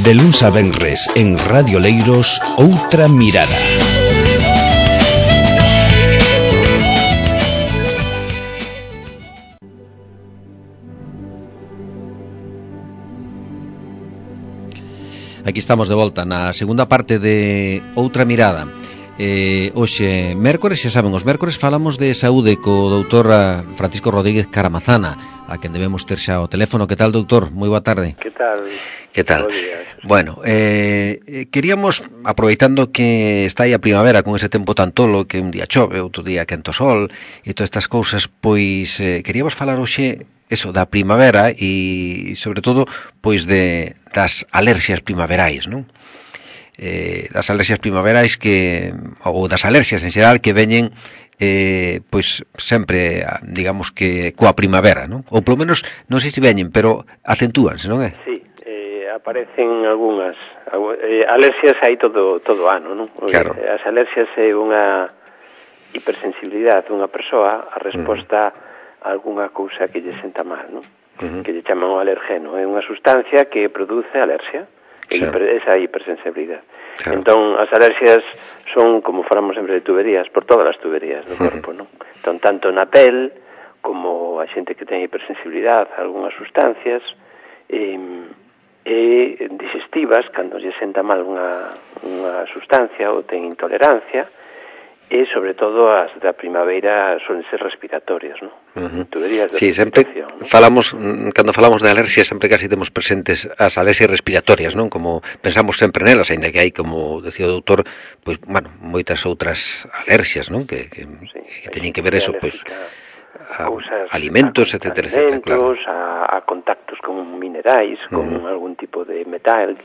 De luns a venres en Radio Leiros, Outra Mirada. Aquí estamos de volta na segunda parte de Outra Mirada. Hoxe, mércores, xa saben, os mércores falamos de saúde co doutor Francisco Rodríguez Caramazana, a quen debemos ter xa o teléfono. Que tal, doutor? Moi boa tarde. Que tal? Que tal? Bueno, queríamos, aproveitando que está aí a primavera con ese tempo tan tolo, que un día chove, outro día quento sol e todas estas cousas, pois queríamos falar hoxe eso da primavera e sobre todo pois das alerxias primaverais, non? Das alerxias primaverais ou das alerxias en xeral que veñen pois sempre, digamos que coa primavera, non? Ou polo menos non sei se veñen, pero acentúanse, non é? Sí, aparecen algunhas alerxias aí todo ano, non? Claro. As alerxias é unha hipersensibilidade dunha persoa a resposta a algunha cousa que lle senta mal, non? Que lle chaman o alergeno, é unha sustancia que produce alerxia. Esa hipersensibilidade. Claro. Entón, as alerxias son, como falamos sempre de tuberías, por todas as tuberías do corpo, non? Entón, tanto na pel, como a xente que ten hipersensibilidade a algunhas sustancias, digestivas, cando lle senta mal unha sustancia ou ten intolerancia, e, sobre todo, as da primavera son ser respiratorias, non? Tuberías de respiración. Sempre falamos, cando falamos de alerxias, sempre casi temos presentes as alerxias respiratorias, non? Como pensamos sempre nelas, ainda que hai, como decía o doutor, pois, bueno, moitas outras alerxias, non? Que teñen que ver eso, pois, a alimentos, etcétera, claro. A contactos con minerais, con algún tipo de metal.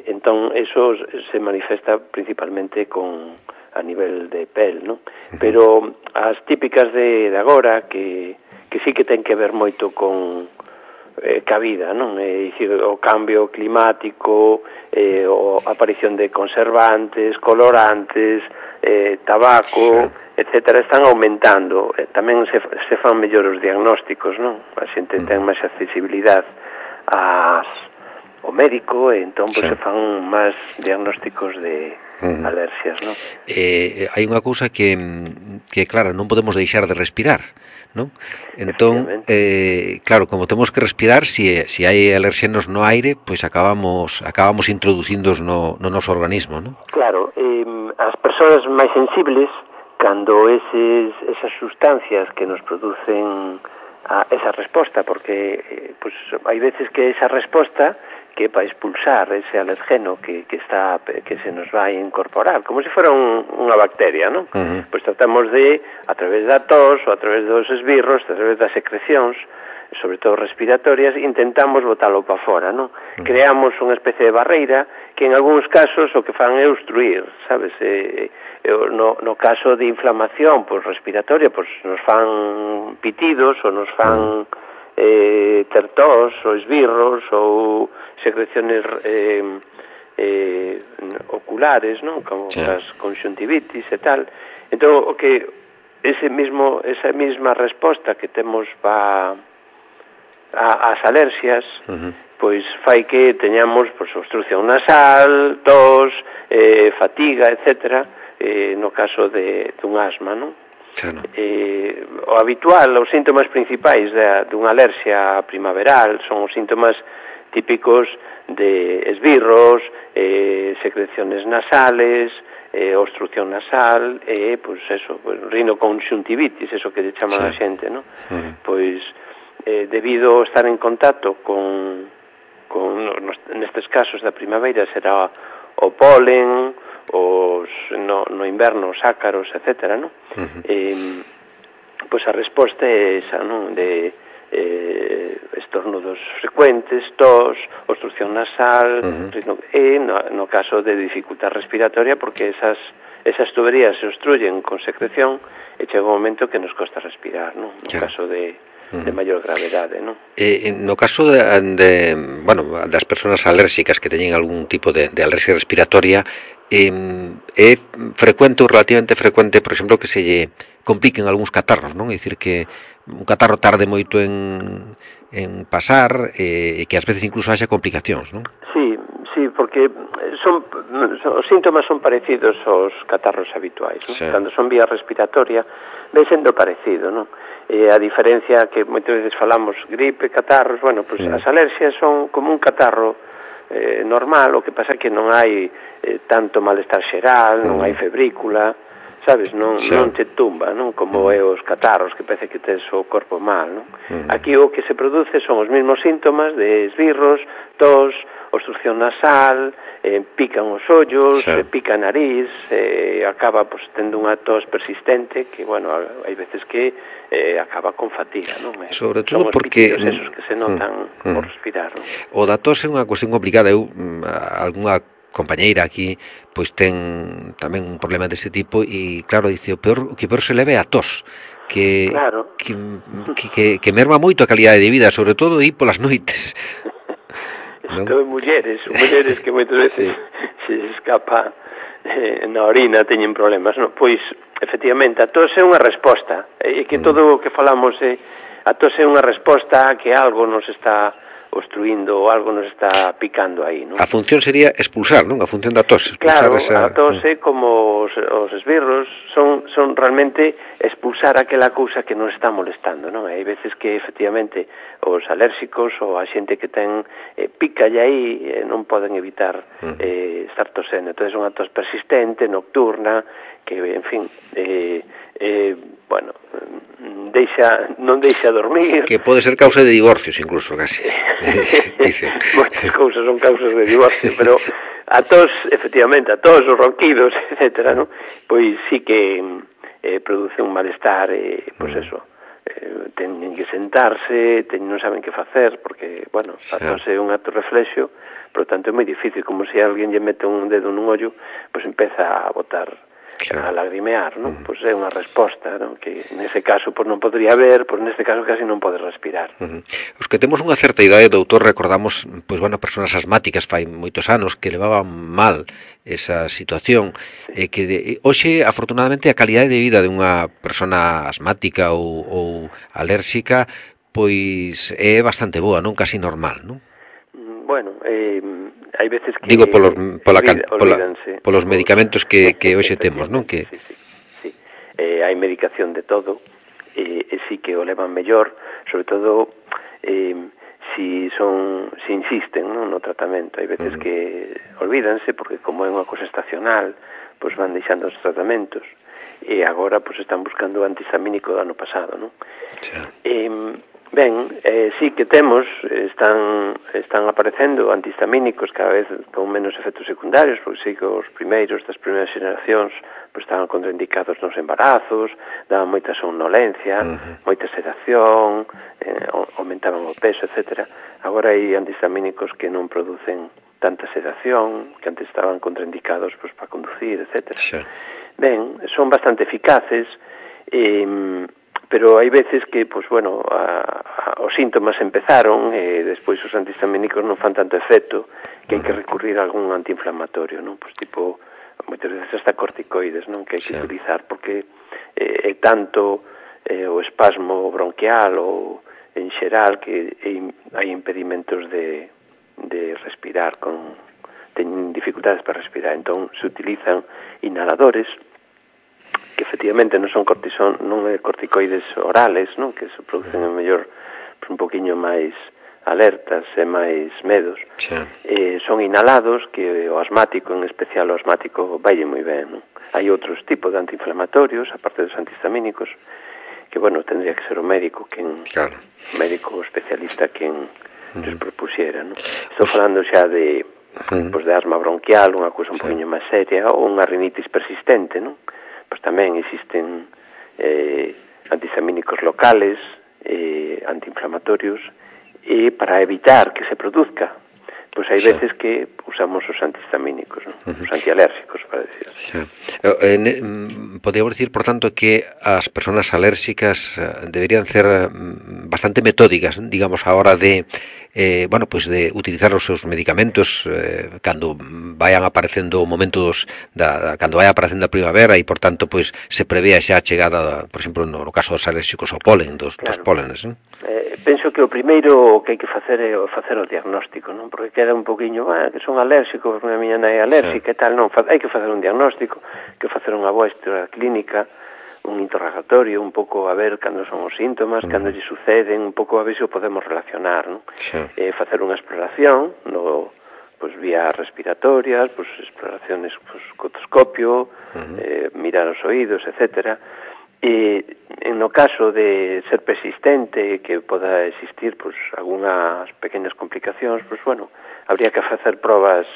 Entón, eso se manifesta principalmente a nivel de pel, non? Pero as típicas de agora que sí que ten que ver moito con ca vida, non? O cambio climático, a aparición de conservantes, colorantes, tabaco, etcétera, están aumentando. Tamén se fan mellor os diagnósticos, non? A xente ten máis accesibilidade ao médico, e entón se fan máis diagnósticos de alerxias, non? Hai unha cousa que claro, non podemos deixar de respirar, non? Entón, claro, como temos que respirar, se hai alerxenos no aire, pois acabamos introducíndoos no noso organismo, non? Claro, as persoas máis sensibles, cando esas sustancias que nos producen esa resposta, porque pois hai veces que esa resposta que para expulsar ese alergeno que se nos vai incorporar, como se fora unha bacteria, non? Pois tratamos de, a través da tos ou a través dos esbirros, a través das secrecións, sobre todo respiratorias, intentamos botalo para fora, non? Creamos unha especie de barreira que en algúns casos o que fan é obstruir, sabes? No caso de inflamación respiratoria, nos fan pitidos ou nos fan ter tos ou esbirros ou secreciones oculares, non? Como as conxuntivitis e tal. Entón, o que esa mesma resposta que temos ás alerxias, pois fai que teñamos obstrucción nasal, tos, fatiga, etcétera, no caso dun asma, non? Claro. O habitual, os síntomas principais dunha alerxia primaveral son os síntomas típicos de esbirros, secreciones nasales, obstrucción nasal, rinoconxuntivitis, eso que lle chaman a xente, non? Pois, debido a estar en contacto nestes casos da primavera, será o polen, no inverno os ácaros, etcétera, non? Pois a resposta é esa, non? De estornudos frecuentes, tos, obstrucción nasal, e no caso de dificultad respiratoria, porque esas tuberías se obstruyen con secreción e chega un momento que nos costa respirar, non? No caso de maior gravedade, non? No caso das persoas alérxicas que teñen algún tipo de alerxia respiratoria, é frecuente ou relativamente frecuente, por exemplo, que se lle compliquen algúns catarros, non? É dicir, que un catarro tarde moito en pasar e que ás veces incluso haxa complicacións, non? Sí, porque os síntomas son parecidos aos catarros habituais, non? Sí. Cando son vía respiratoria, ve sendo parecido, non? A diferencia que moitas veces falamos gripe, catarros, bueno, pues as alerxias son como un catarro normal, o que pasa que non hai tanto malestar xeral, non hai febrícula, sabes, non te tumba, non? Como é os catarros, que parece que tes o corpo mal, non? Aquí o que se produce son os mesmos síntomas de esbirros, tos, obstrucción nasal, pican os ollos, pica a nariz, acaba pues, tendo unha tos persistente que, bueno, hai veces que acaba con fatiga, non? Sobre todo porque esos que se notan por respirar, non? O da tos é unha cuestión complicada. Eu, algunha compañeira aquí, pois ten tamén un problema deste tipo e, claro, dice, o que peor se leve a tos, que merma moito a calidade de vida, sobre todo aí polas noites. Isto é mulleres que moitas veces se escapa na orina, teñen problemas, non? Pois, efectivamente, a tos é unha resposta, e que todo o que falamos a tos é unha resposta a que algo nos está obstruindo ou algo nos está picando aí, non? A función sería expulsar, non? A función da tos. Claro, a tos é como os esbirros, son realmente expulsar aquela cousa que nos está molestando, non? Hai veces que, efectivamente, os alérxicos ou a xente que ten pica aí non poden evitar estar tosendo. Entón, é unha tos persistente, nocturna, que, en fin, bueno, non deixa dormir. Que pode ser causa de divorcios, incluso, casi. Moitas cousas son causas de divorcio, pero a tos, efectivamente, a tos, os ronquidos, etcétera, non? Pois sí que produce un malestar, pois eso, teñen que sentarse, non saben que facer, porque, bueno, a tos é un acto reflexo, por tanto é moi difícil, como se alguén lle mete un dedo nun ollo, pois empeza a botar, a lagrimear, non? Pois é unha resposta, non? Que nese caso pois non podría ver, pois neste caso casi non pode respirar. Os que temos unha certa idade, doutor, recordamos, pois bueno, persoas asmáticas fai moitos anos que levaban mal esa situación, que hoxe, afortunadamente, a calidade de vida de unha persona asmática ou alérxica pois é bastante boa, non? Casi normal, non? Bueno, hai veces que... Digo, polos medicamentos que hoxe temos, non? Sí. Hai medicación de todo, e sí que o levan mellor, sobre todo si insisten, non, no tratamento. Hai veces que olvídanse, porque como é unha cosa estacional, pois van deixando os tratamentos, e agora pois están buscando o antihistamínico do ano pasado, non? Ben, sí que temos, están aparecendo antihistamínicos cada vez con menos efectos secundarios, porque sí que os primeiros das primeiras xeracións pues, estaban contraindicados nos embarazos, daban moita somnolencia, moita sedación, aumentaban o peso, etc. Agora hai antihistamínicos que non producen tanta sedación, que antes estaban contraindicados pues, para conducir, etc. Ben, son bastante eficaces, pero hai veces que, pues, bueno, os síntomas empezaron e despois os antihistamínicos non fan tanto efecto que hai que recurrir a algún antiinflamatorio, non? Pues tipo, moitas veces hasta corticoides, non? Que hai que utilizar porque é tanto o espasmo bronquial ou en xeral que hai impedimentos de respirar, teñen dificultades para respirar, entón se utilizan inhaladores que efectivamente non son corticoides orales, non? Que se producen en mellor un poquinho máis alertas e máis medos. Son inhalados que o asmático, en especial o asmático, vaille moi ben, non? Hai outros tipos de antiinflamatorios, aparte dos antihistamínicos, que, bueno, tendría que ser o médico médico especialista quen nos propusiera, non? Estou falando xa de asma bronquial, unha cousa un poquinho máis seria, ou unha rinitis persistente, non? Pois tamén existen antihistamínicos locales, antiinflamatorios, e para evitar que se produzca, pois hai veces que usamos os antihistamínicos, non? Os antialérxicos, para decir así. Podríamos decir, por tanto, que as persoas alérxicas deberían ser bastante metódicas, digamos, a hora de bueno, pois de utilizar os seus medicamentos cando vayan aparecendo momentos cando vai aparecendo a primavera e, por tanto, pois se prevea xa a chegada, por exemplo, no caso dos alérxicos ao polen, dos pólenes, non? Penso que o primeiro que hai que facer é facer o diagnóstico, non? Porque queda un poquinho, que son alérxicos, a miña nai é alérxica e tal, non, hai que facer un diagnóstico, que facer unha boa historia clínica, un interrogatorio, un pouco a ver cando son os síntomas, cando lle suceden, un pouco a ver se o podemos relacionar, non? Facer unha exploración, pois vía respiratorias, pois exploraciones co otoscopio, mirar os oídos, etcétera. E no caso de ser persistente, que poda existir pois algunhas pequenas complicacións, pois bueno, habría que facer probas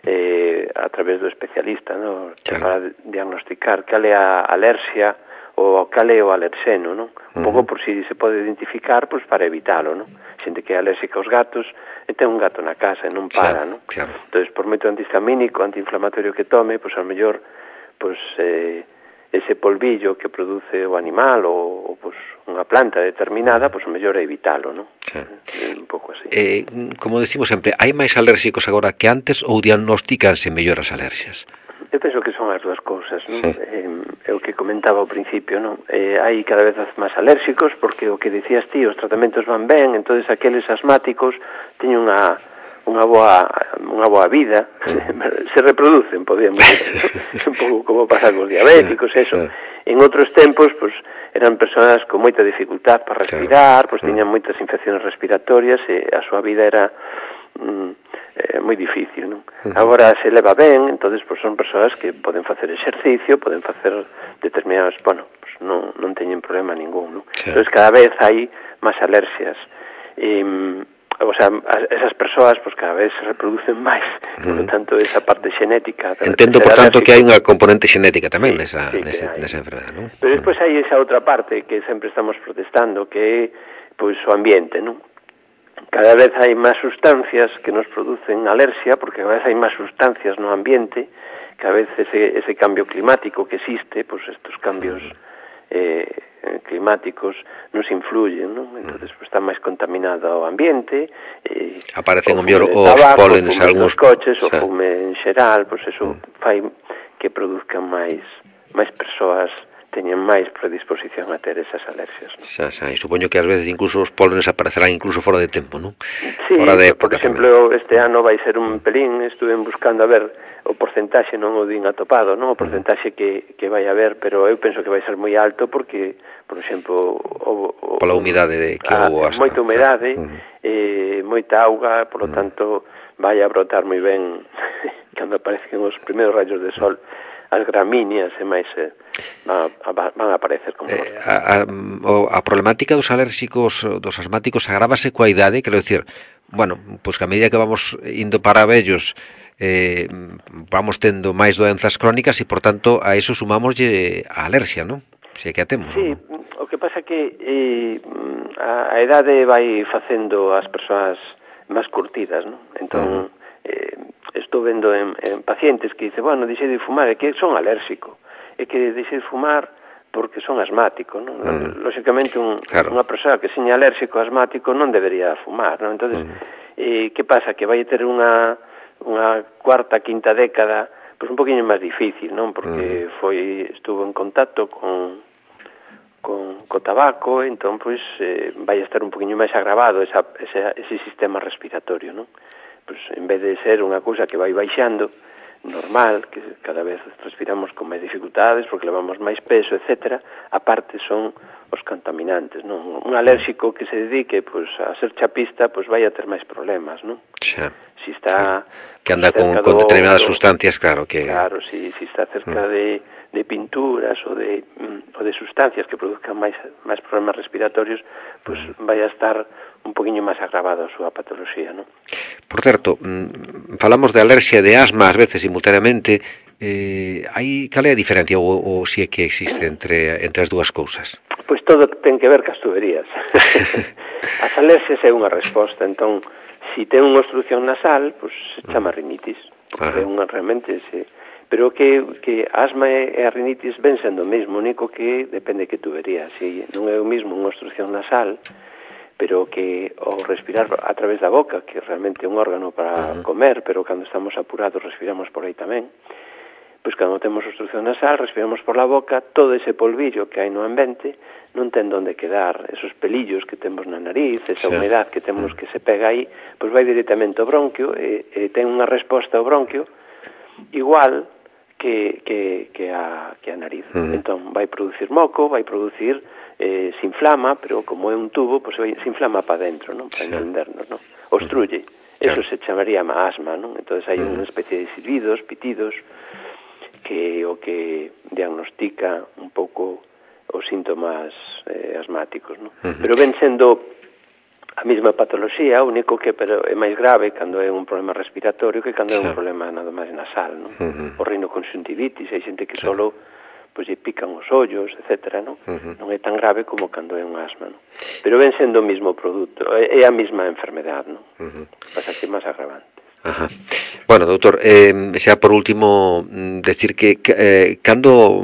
a través do especialista, ¿no? Para diagnosticar cal é a alerxia ou cal é o alerxeno, ¿no? Un pouco por si se pode identificar, pois para evitalo, ¿no? Xente que é alérxica aos gatos e ten un gato na casa e non para, ¿no? Entón, por moito antihistamínico, antiinflamatorio que tome, pois ao mellor pois ese polvillo que produce o animal ou pois unha planta determinada, pois o mellor é evitalo, non? Un pouco así. Como decimos sempre, hai máis alérxicos agora que antes ou diagnosticanse mellor as alerxias? Eu penso que son as dúas cousas, non? É o que comentaba ao principio, non? Hai cada vez máis alérxicos porque o que dicías ti, os tratamentos van ben, entonces aqueles asmáticos teñen unha boa vida, se reproducen, podíamos decir, un pouco como pasa cos diabéticos, eso. En outros tempos, pois, eran persoas con moita dificultad para respirar, pois tiñan moitas infecciones respiratorias e a súa vida era moi difícil, non? Agora se leva ben, entonces pois son persoas que poden facer exercicio, poden facer determinados, bueno, pois non teñen problema ningún, non? Entonces cada vez hai máis alerxias. O sea, esas persoas pues cada vez se reproducen máis, por lo tanto esa parte xenética. Entendo, por tanto, que hai unha componente xenética tamén nesa enfermedade, non? Pero despois hai esa outra parte que sempre estamos protestando, que é pois o ambiente, non? Cada vez hai máis sustancias que nos producen alerxia, porque cada vez hai máis sustancias no ambiente, cada vez ese cambio climático que existe, pois estos cambios climáticos nos influyen, ¿no? Entonces pues, está máis contaminado o ambiente, aparecen o mellor os pólenes, algúns coches, o fume en xeral, pues eso fai que produzcan máis persoas teñen máis predisposición a ter esas alerxias, ¿no? E supoño que ás veces incluso os pólenes aparecerán incluso fora de tempo, ¿non? Sí, por exemplo, este ano vai ser un pelín, estuve buscando a ver o porcentaxe, non o din atopado, non? O porcentaxe que vai haber, pero eu penso que vai ser moi alto porque, por exemplo, pola humidade que houve, moita humidade, moita auga, por lo tanto vai a brotar moi ben cando aparecen os primeiros rayos de sol. As gramíneas e máis van a aparecer como a problemática dos alérxicos, dos asmáticos agrávase coa idade, quero dicir, bueno, pois que a medida que vamos indo para vellos vamos tendo máis doenzas crónicas e, por tanto, a eso sumámoslle a alerxia, non? Se é que a temos. Sí, o que pasa que a idade vai facendo as persoas máis curtidas, non? Entón, estou vendo en pacientes que dicen, bueno, deixei de fumar, é que son alérxico, é que deixei de fumar porque son asmático, non? Lóxicamente, unha persoa que seña alérxico asmático non debería fumar, non? Entonces, que pasa? Que vai ter unha cuarta, quinta década, pois un poquinho máis difícil, non? Porque estuvo en contacto con tabaco, entón, pois, vai estar un poquinho máis agravado ese sistema respiratorio, non? Pues, en vez de ser unha cousa que vai baixando, normal, que cada vez respiramos con máis dificultades porque levamos máis peso, etcétera, aparte son os contaminantes, non? Un alérxico que se dedique pues, a ser chapista, pues vai a ter máis problemas, non? Xa. Si está que anda con determinadas sustancias, claro que... Claro, si está cerca de pinturas ou de sustancias que produzcan máis problemas respiratorios, pues vai a estar un poquinho máis agravado a súa patoloxía, non? Por certo, falamos de alerxia e de asma ás veces simultaneamente, cal é a diferencia ou si é que existe entre as dúas cousas? Pois todo ten que ver cas tuberías. As alerxias é unha resposta, entón, si ten unha obstrucción nasal, pois se chama rinitis, porque é unha realmente pero que asma e a rinitis ven sendo o mesmo, único que depende que tubería. Si non é o mesmo unha obstrucción nasal, pero que ao respirar a través da boca, que realmente é un órgano para comer, pero cando estamos apurados respiramos por aí tamén, pois cando temos obstrucción nasal, respiramos por la boca, todo ese polvillo que hai no ambiente non ten donde quedar, esos pelillos que temos na nariz, esa humedad que temos que se pega aí, pois vai directamente ao bronquio e ten unha resposta ao bronquio igual que a nariz. Entón vai producir moco, vai producir se inflama, pero como é un tubo, pois se inflama para dentro, non? Para entendernos, non? Obstruye. Eso se chamaría asma, non? Entón hai unha especie de silbidos, pitidos, que o que diagnostica un pouco os síntomas asmáticos, non? Pero ven sendo a mesma patoloxía, o único que é máis grave cando é un problema respiratorio que cando é un problema nada máis nasal, non? O rinoconxuntivitis, hai xente que solo pois lle pican os ollos, etcétera, non? Non é tan grave como cando é un asma, non? Pero ven sendo o mesmo produto, é a mesma enfermedade, non? Pasa que é máis agravante. Ajá. Bueno, doutor, xa por último decir que cando,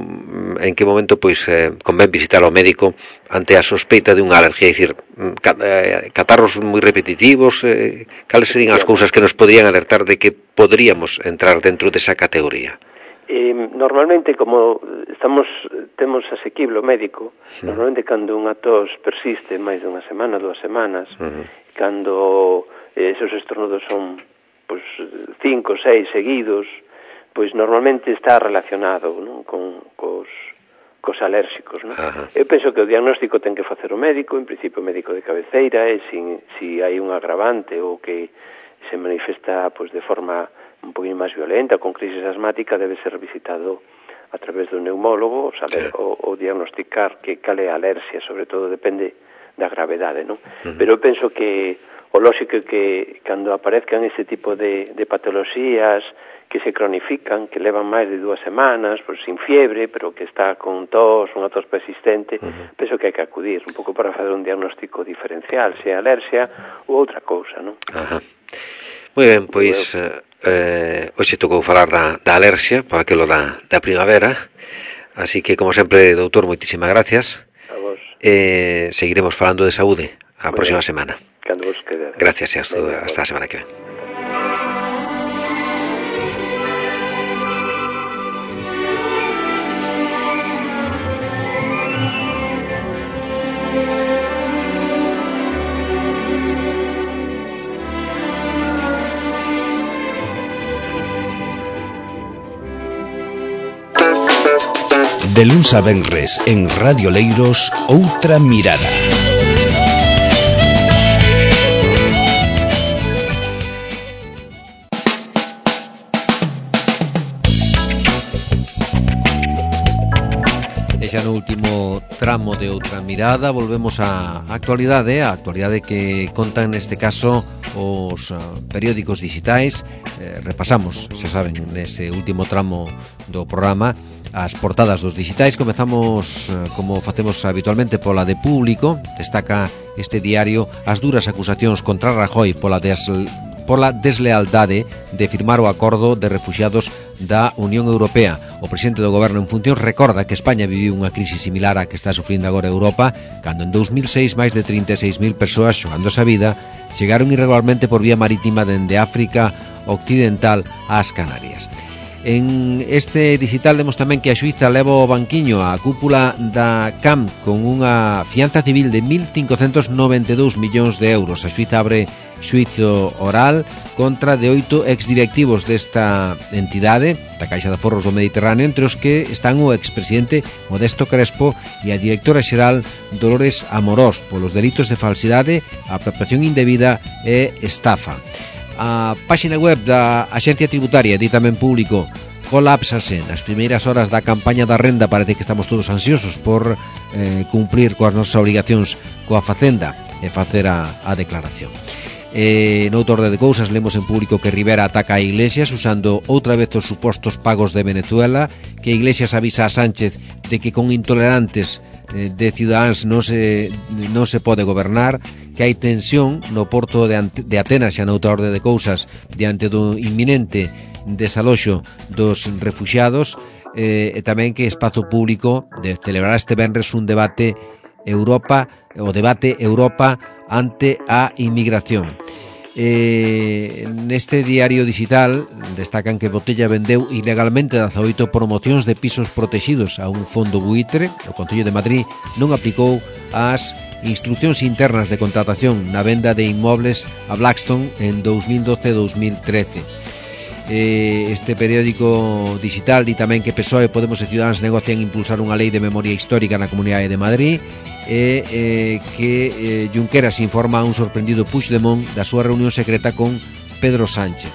en que momento pois convén visitar ao médico ante a sospeita de unha alergia, é dicir, catarros moi repetitivos, cales serían as cousas que nos poderían alertar de que poderíamos entrar dentro desa categoría? Normalmente, como temos asequible o médico, normalmente cando unha tos persiste máis de unha semana, 2 semanas, cando esos estornudos son pois 5, 6 seguidos, pois normalmente está relacionado, non? Cos alérxicos, non? Eu penso que o diagnóstico ten que facer o médico, en principio o médico de cabeceira, e se hai un agravante ou que se manifesta pois de forma un poquinho máis violenta, con crisis asmática, debe ser visitado a través do neumólogo, saber o diagnosticar que cal é a alerxia, sobre todo depende da gravedade, non? Pero eu penso que o lóxico é que cando aparezcan ese tipo de patoloxías que se cronifican, que levan máis de 2 semanas, pois sin fiebre, pero que está con tos, unha tos persistente, penso que hai que acudir un pouco para fazer un diagnóstico diferencial, se é alerxia ou outra cousa, non? Moi ben, pois hoxe tocou falar da alerxia, para aquilo da primavera, así que, como sempre, doutor, moitísimas gracias. A vos. Seguiremos falando de saúde a próxima semana. Cando vos quede. Gracias e hasta a semana que ven. De luns a venres en Radio Leiros, Outra Mirada. E xa no último tramo de Outra Mirada volvemos á actualidade, a actualidade que contan neste caso os periódicos digitais. Repasamos, xa saben, nese último tramo do programa as portadas dos digitais. Comezamos, como facemos habitualmente, pola de Público. Destaca este diario as duras acusacións contra Rajoy pola deslealdade de firmar o acordo de refuxiados da Unión Europea. O presidente do goberno en funcións recorda que España viviu unha crise similar á que está sufrindo agora Europa, cando en 2006 máis de 36.000 persoas, xogándose a vida, chegaron irregularmente por vía marítima dende África Occidental ás Canarias. En este digital vemos tamén que a xuíza leva o banquiño á cúpula da CAM con unha fianza civil de 1.592 millóns de euros. A xuíza abre xuízo oral contra de 8 exdirectivos desta entidade, da Caixa de Aforros do Mediterráneo, entre os que están o expresidente Modesto Crespo e a directora xeral Dolores Amorós polos delitos de falsidade, apropiación indebida e estafa. A páxina web da Axencia Tributaria di tamén Público: colapsase nas primeiras horas da campaña da renda. Parece que estamos todos ansiosos por cumplir coas nosas obrigacións coa Facenda e facer a declaración. Noutro orde de cousas, lemos en Público que Rivera ataca a Iglesias usando outra vez os supostos pagos de Venezuela, que Iglesias avisa a Sánchez de que con intolerantes de Ciudadáns non se pode gobernar, que hai tensión no porto de Atenas, xa noutra orde de cousas, diante do inminente desaloxo dos refuxiados, e tamén que Espazo Público celebrará este venres un debate Europa ante a inmigración. Neste diario digital destacan que Botella vendeu ilegalmente 18 promocións de pisos protegidos a un fondo buitre. O Concello de Madrid non aplicou as instruccións internas de contratación na venda de inmobles a Blackstone en 2012-2013. Este periódico digital di tamén que PSOE, Podemos e Ciudadanos negocian impulsar unha lei de memoria histórica na Comunidade de Madrid, e que Junqueras informa a un sorprendido Puigdemont da súa reunión secreta con Pedro Sánchez.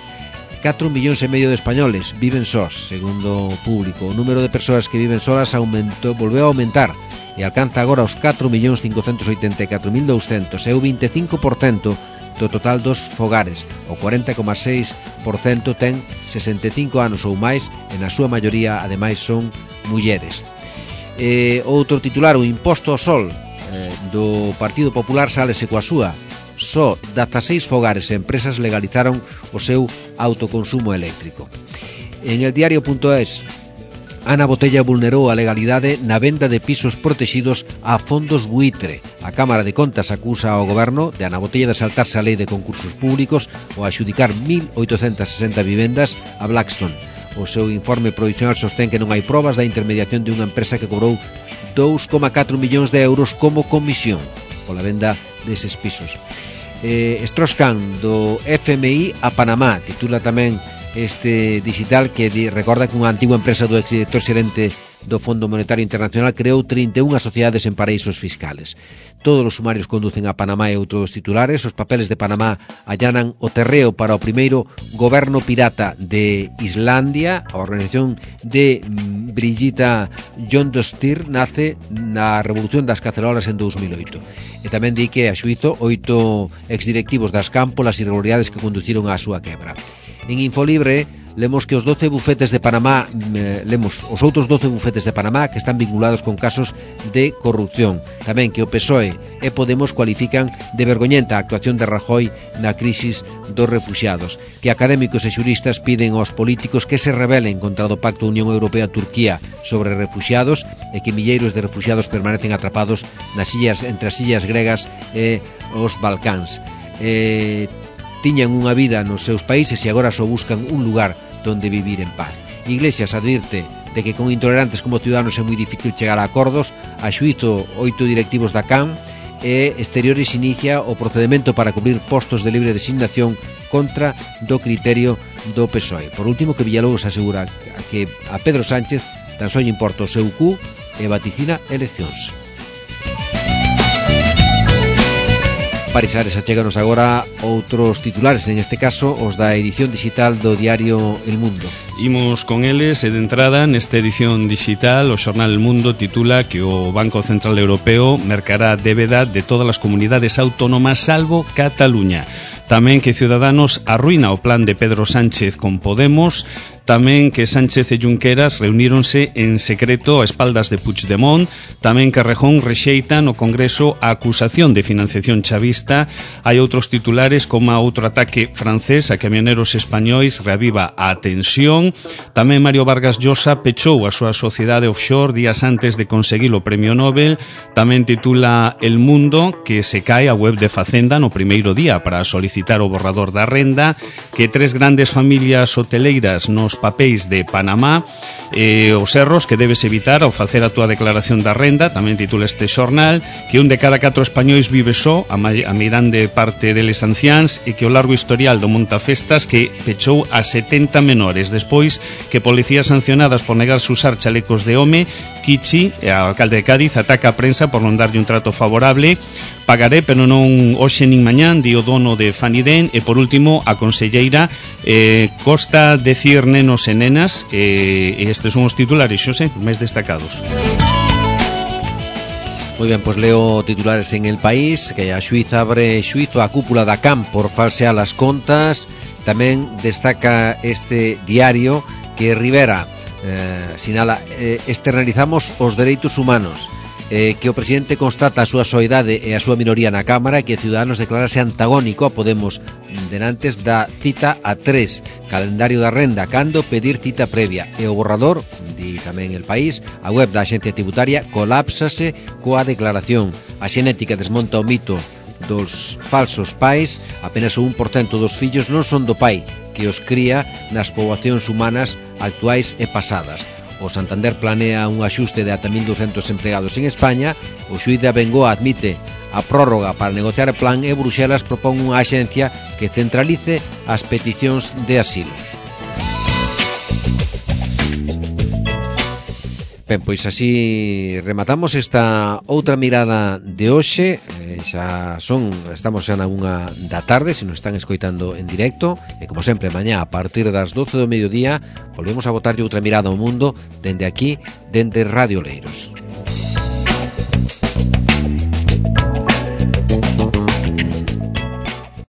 4,5 millóns de españoles viven sós, segundo o Público. O número de persoas que viven solas volveu a aumentar e alcanza agora os 4.584.200, é o 25% do total dos fogares. O 40,6% ten 65 anos ou máis e na súa maioría, ademais, son mulleres. Outro titular, o imposto ao sol do Partido Popular sálese coa súa. Só 16 fogares e empresas legalizaron o seu autoconsumo eléctrico. En el diario.es, Ana Botella vulnerou a legalidade na venda de pisos protegidos a fondos buitre. A Cámara de Contas acusa ao Goberno de Ana Botella de saltarse a lei de concursos públicos ou adxudicar 1.860 vivendas a Blackstone. O seu informe provisional sostén que non hai probas da intermediación de unha empresa que cobrou 2,4 millóns de euros como comisión pola venda deses pisos. Strauss-Kahn do FMI a Panamá, titula tamén este digital, que recorda que unha antigua empresa do exdirector xerente do Fondo Monetario Internacional creou 31 sociedades en paraísos fiscales. Todos os sumarios conducen a Panamá e outros titulares. Os papeles de Panamá allanan o terreo para o primeiro goberno pirata de Islandia. A organización de Brigida Jondostir nace na Revolución das Cacerolas en 2008. E tamén di que a xuízo 8 exdirectivos das Campo as irregularidades que conduciron á súa quebra. En Infolibre lemos que os 12 bufetes de Panamá, os outros 12 bufetes de Panamá que están vinculados con casos de corrupción. Tamén que o PSOE e Podemos cualifican de vergoñenta a actuación de Rajoy na crisis dos refuxiados. Que académicos e xuristas piden aos políticos que se rebelen contra o Pacto Unión Europea-Turquía sobre refuxiados e que milleiros de refuxiados permanecen atrapados nas illas, entre as illas gregas e os Balcáns. Tiñan unha vida nos seus países e agora só buscan un lugar donde vivir en paz. Iglesias advirte de que con intolerantes como Ciudadanos é moi difícil chegar a acordos. A xuízo 8 directivos da CAM e Exteriores inicia o procedemento para cubrir postos de libre designación contra do criterio do PSOE. Por último, que Villalobos asegura que a Pedro Sánchez tan só lle importa o seu cu e vaticina eleccións. Parisares, achéganos agora outros titulares, en este caso os da edición digital do diario El Mundo. Imos con eles e de entrada nesta edición digital o xornal El Mundo titula que o Banco Central Europeo mercará débeda de todas as comunidades autónomas salvo Cataluña. Tamén que Ciudadanos arruina o plan de Pedro Sánchez con Podemos. Tamén que Sánchez e Junqueras reuníronse en secreto a espaldas de Puigdemont. Tamén que Rejón rexeita no Congreso a acusación de financiación chavista. Hai outros titulares como outro ataque francés a camioneros españois reaviva a tensión. Tamén Mario Vargas Llosa pechou a súa sociedade offshore días antes de conseguir o premio Nobel. Tamén titula El Mundo que se cae a web de Facenda no primeiro día para solicitar o borrador da renda. Que 3 grandes familias hoteleiras nos papéis de Panamá, os erros que debes evitar ao facer a túa declaración da renda. Tamén titula este xornal que un de cada 4 españois vive só, a meirande parte deles anciáns, e que o largo historial do Montafestas que pechou a 70 menores despois que policías sancionadas por negarse usar chalecos de home. Kichi, o alcalde de Cádiz, ataca a prensa por non darlle un trato favorable. Pagaré, pero non hoxe nin mañán, di o dono de Faniden. E por último, a conselleira costa decir nenos e nenas, e estes son os titulares, xose, máis destacados. Moi ben, pois leo titulares en El País, que a xuíza abre xuízo á cúpula da CAM por falsear as contas. Tamén destaca este diario que Rivera sinala externalizamos os dereitos humanos, que o presidente constata a súa soidade e a súa minoría na Cámara, e que Ciudadanos declarase antagónico a Podemos denantes da cita a 3, calendario da renda, cando pedir cita previa, e o borrador, di tamén El País, a web da Axencia Tributaria colapsase coa declaración. A xenética desmonta o mito dos falsos pais, apenas o 1% dos fillos non son do pai que os cría nas poboacións humanas actuais e pasadas. O Santander planea un axuste de ata 1.200 empregados en España. O xuíz de Abengoa admite a prórroga para negociar o plan e Bruxelas propón unha axencia que centralice as peticións de asilo. Ben, pois así rematamos esta outra mirada de hoxe. Estamos xa na 1 da tarde, se nos están escoitando en directo, e como sempre, mañá a partir das 12 do mediodía volvemos a botarlle outra mirada ao mundo dende aquí, dende Radio Leiros.